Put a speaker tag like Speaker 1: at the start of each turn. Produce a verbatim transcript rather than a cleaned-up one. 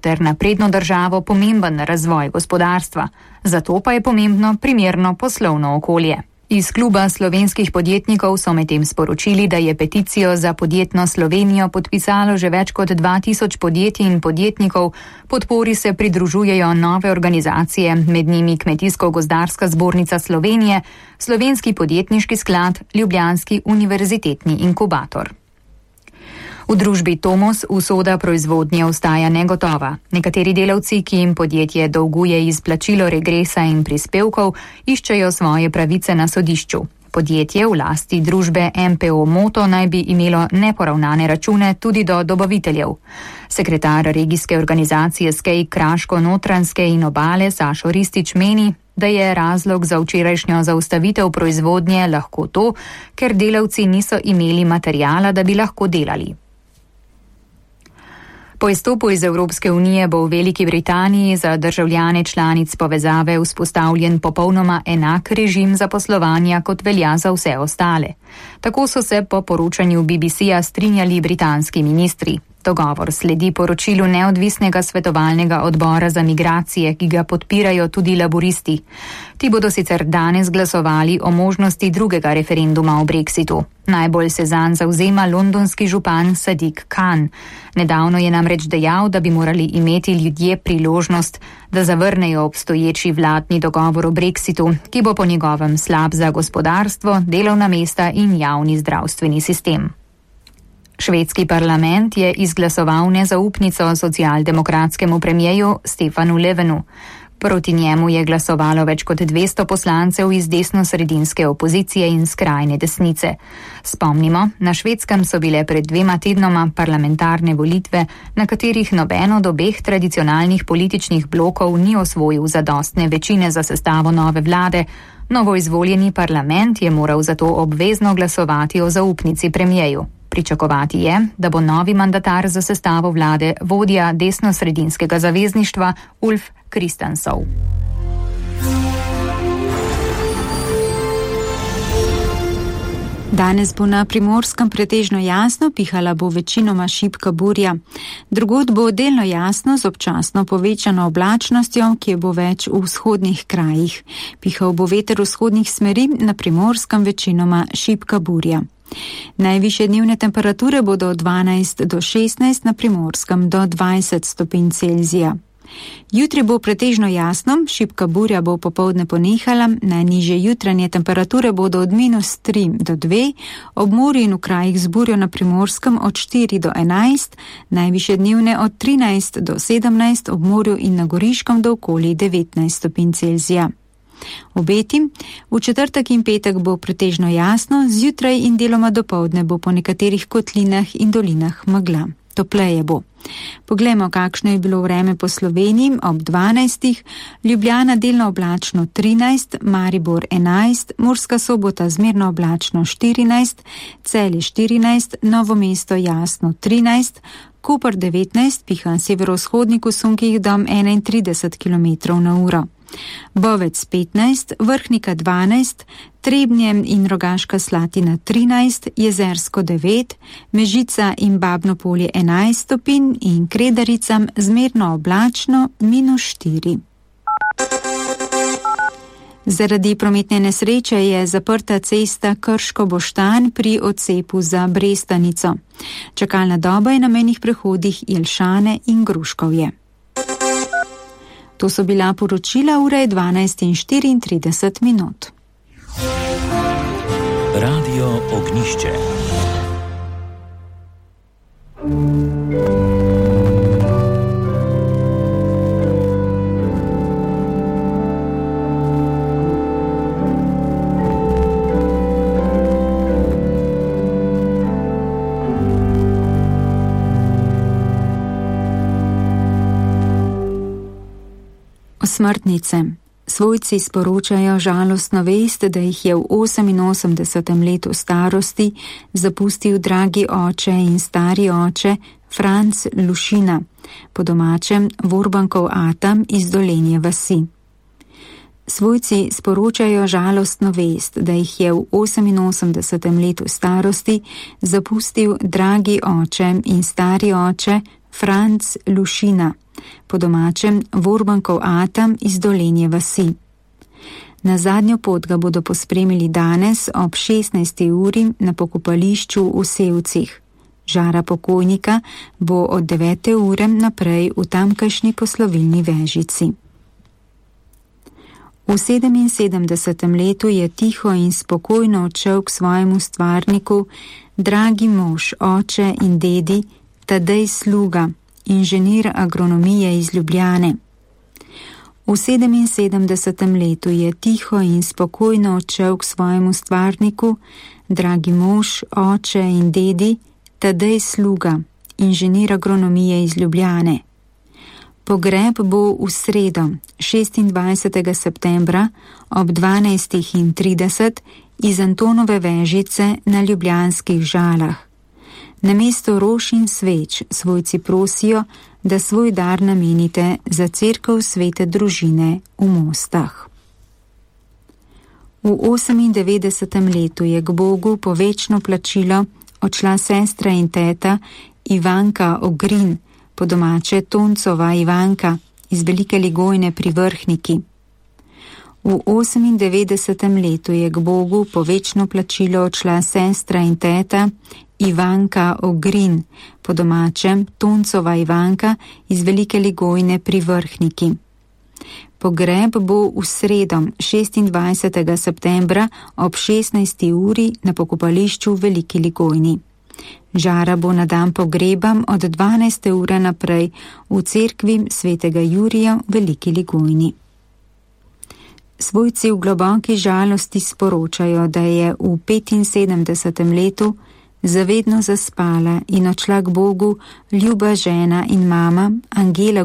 Speaker 1: ter napredno državo pomemben razvoj gospodarstva. Zato pa je pomembno primerno poslovno okolje. Iz kluba slovenskih podjetnikov so medtem sporočili, da je peticijo za podjetno Slovenijo podpisalo že več kot dva tisoč podjetij in podjetnikov. Podpori se pridružujejo nove organizacije, med njimi Kmetijsko-gozdarska zbornica Slovenije, Slovenski podjetniški sklad, Ljubljanski univerzitetni inkubator. V družbi Tomos usoda proizvodnje ostaja negotova. Nekateri delavci, ki jim podjetje dolguje izplačilo regresa in prispevkov, iščejo svoje pravice na sodišču. Podjetje v lasti družbe M P O Moto naj bi imelo neporavnane račune tudi do dobaviteljev. Sekretar regijske organizacije Skej Kraško-Notranjske in Obale Sašo Ristič meni, da je razlog za včerajšnjo zaustavitev proizvodnje lahko to, ker delavci niso imeli materijala, da bi lahko delali. Po izstopu iz Evropske unije bo v Veliki Britaniji za državljane članic povezave vzpostavljen popolnoma enak režim zaposlovanja, kot velja za vse ostale. Tako so se po poročanju B B C-ja strinjali britanski ministri. Dogovor sledi poročilu neodvisnega svetovalnega odbora za migracije, ki ga podpirajo tudi laburisti. Ti bodo sicer danes glasovali o možnosti drugega referenduma o Brexitu. Najbolj se zanj zavzema londonski župan Sadiq Khan. Nedavno je namreč dejal, da bi morali imeti ljudje priložnost, da zavrnejo obstoječi vladni dogovor o Brexitu, ki bo po njegovem slab za gospodarstvo, delovna mesta in javni zdravstveni sistem. Švedski parlament je izglasoval nezaupnico socialdemokratskemu premijeju Stefanu Löfvenu. Proti njemu je glasovalo več kot dvesto poslancev iz desno-sredinske opozicije in skrajne desnice. Spomnimo, na Švedskem so bile pred dvema tednoma parlamentarne volitve, na katerih noben od obeh tradicionalnih političnih blokov ni osvojil zadostne večine za sestavo nove vlade. Novoizvoljeni parlament je moral zato obvezno glasovati o zaupnici premijeju. Pričakovati je, da bo novi mandatar za sestavo vlade vodja desno-sredinskega zavezništva Ulf Kristersson.
Speaker 2: Danes bo na Primorskem pretežno jasno, pihala bo večinoma šibka burja. Drugod bo delno jasno z občasno povečano oblačnostjo, ki bo več v vzhodnih krajih. Pihal bo veter vzhodnih smeri, na Primorskem večinoma šibka burja. Najvišje dnevne temperature bodo od dvanajst do šestnajst, na Primorskem do dvajset stopinj Celzija. Jutri bo pretežno jasno, šibka burja bo popoldne ponehala, najnižje jutranje temperature bodo od minus tri do dve, ob morju in v krajih z burjo na Primorskem od štiri do enajst, najvišje dnevne od trinajst do sedemnajst, ob morju in na Goriškem do okoli devetnajst stopinj Celzija. Obeti, v četrtek in petek bo pretežno jasno, zjutraj in deloma dopoldne bo po nekaterih kotlinah in dolinah megla. Topleje bo. Poglejmo, kakšno je bilo vreme po Sloveniji ob dvanajstih, Ljubljana delno oblačno trinajst, Maribor enajst, Murska Sobota zmerno oblačno štirinajst, Celje štirinajst, Novo mesto jasno trinajst, Koper devetnajst, piha severovzhodnik v sunkih do enaintrideset kilometrov na uro. Bovec petnajst, Vrhnika dvanajst, Trebnje in Rogaška Slatina trinajst, Jezersko devet, Mežica in Babno Polje enajst stopinj in Kredaricam zmerno oblačno minus štiri. Zaradi prometne nesreče je zaprta cesta Krško-Boštanj pri odcepu za Brestanico. Čakalna doba je na mejnih prehodih Jelšane in Gruškovje. To so bila poročila, ura je dvanajst in štiriintrideset minut.
Speaker 3: Radio Ognišče.
Speaker 2: Smrtnice. Svojci sporočajo žalostno vest, da jih je v oseminosemdesetem letu starosti zapustil dragi oče in stari oče Franc Lušina, po domačem Vorbankov Atam iz Dolenje vasi. Svojci sporočajo žalostno vest, da jih je v oseminosemdesetem letu starosti zapustil dragi oče in stari oče Franc Lušina, po domačem Vorbankov atam iz Dolenje vasi. Na zadnjo pot ga bodo pospremili danes ob šestnajsti uri na pokopališču v Sevcih. Žara pokojnika bo od devete ure naprej v tamkajšnji poslovilni vežici. V sedeminsedemdesetem letu je tiho in spokojno odšel k svojemu stvarniku, dragi mož, oče in dedi, Tadej Sluga, inženir agronomije iz Ljubljane. V sedeminsedemdesetem letu je tiho in spokojno odšel k svojemu stvarniku, dragi mož, oče in dedi, Tadej Sluga, inženir agronomije iz Ljubljane. Pogreb bo v sredo, šestindvajsetega septembra ob dvanajstih trideset iz Antonove vežice na Ljubljanskih Žalah. Namesto rož in sveč svojci prosijo, da svoj dar namenite za cerkev Svete družine v Mostah. V osemindevetdesetem letu je k Bogu po večno plačilo odšla sestra in teta Ivanka Ogrin, po domače Toncova Ivanka iz Velike Ligojne pri Vrhniki. V osemindevetdesetem letu je k Bogu po večno plačilo odšla sestra in teta Ivanka Ogrin, po domačem Toncova Ivanka iz Velike Ligojne pri Vrhniki. Pogreb bo v sredo, šestindvajsetega septembra ob šestnajsti uri na pokopališču v Veliki Ligojni. Žara bo na dan pogreba od dvanajste ure naprej v cerkvi svetega Jurija v Veliki Ligojni. Svojci v globoki žalosti sporočajo, da je v petinsedemdesetem letu zavedno zaspala in odšla k Bogu ljuba žena in mama Angela